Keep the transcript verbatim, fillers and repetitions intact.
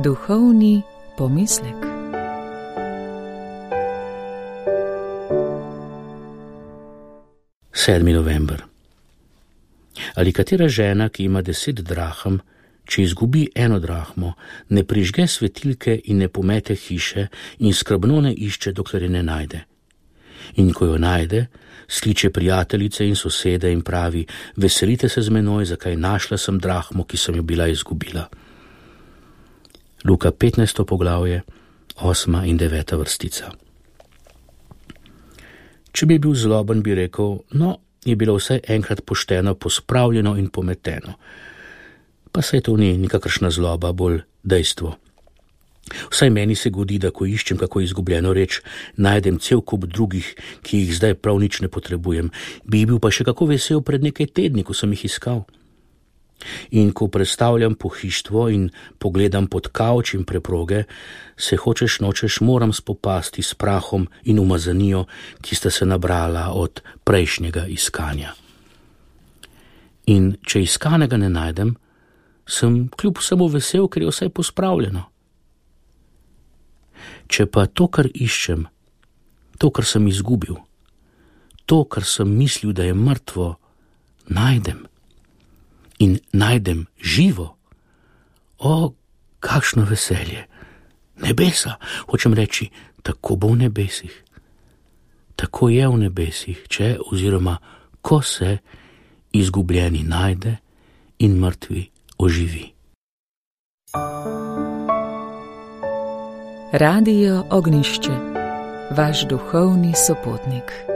Duhovni pomislek. sedmi november. Ali katera žena, ki ima deset drahm, če izgubi eno drahmo, ne prižge svetilke in ne pomete hiše in skrbno ne išče, dokler je ne najde. In ko jo najde, skliče prijateljice in sosede in pravi: veselite se z menoj, zakaj našla sem drahmo, ki sem jo bila izgubila. Luka petnajsto poglavje, osma in deveta vrstica. Če bi bil zloben, bi rekel: no, je bilo vsaj enkrat pošteno pospravljeno in pometeno. Pa saj to ni nikakršna zloba, bolj dejstvo. Vsaj meni se godi, da ko iščem kako izgubljeno reč, najdem cel kup drugih, ki jih zdaj prav nič ne potrebujem. Bi bil pa še kako vesel pred nekaj tedni, ko sem jih iskal. In ko predstavljam pohištvo in pogledam pod kavč in preproge, se hočeš nočeš moram spopasti s prahom in umazanijo, ki sta se nabrala od prejšnjega iskanja. In če iskanega ne najdem, sem kljub vsemu vesel, ker je vsaj pospravljeno. Če pa to, kar iščem, to, kar sem izgubil, to, kar sem mislil, da je mrtvo, najdem in najdem živo, o, kakšno veselje! Nebesa, hočem reči, tako bo v nebesih. Tako je v nebesih, če oziroma ko se izgubljeni najde in mrtvi oživi. Radio Ognjišče, vaš duhovni sopotnik.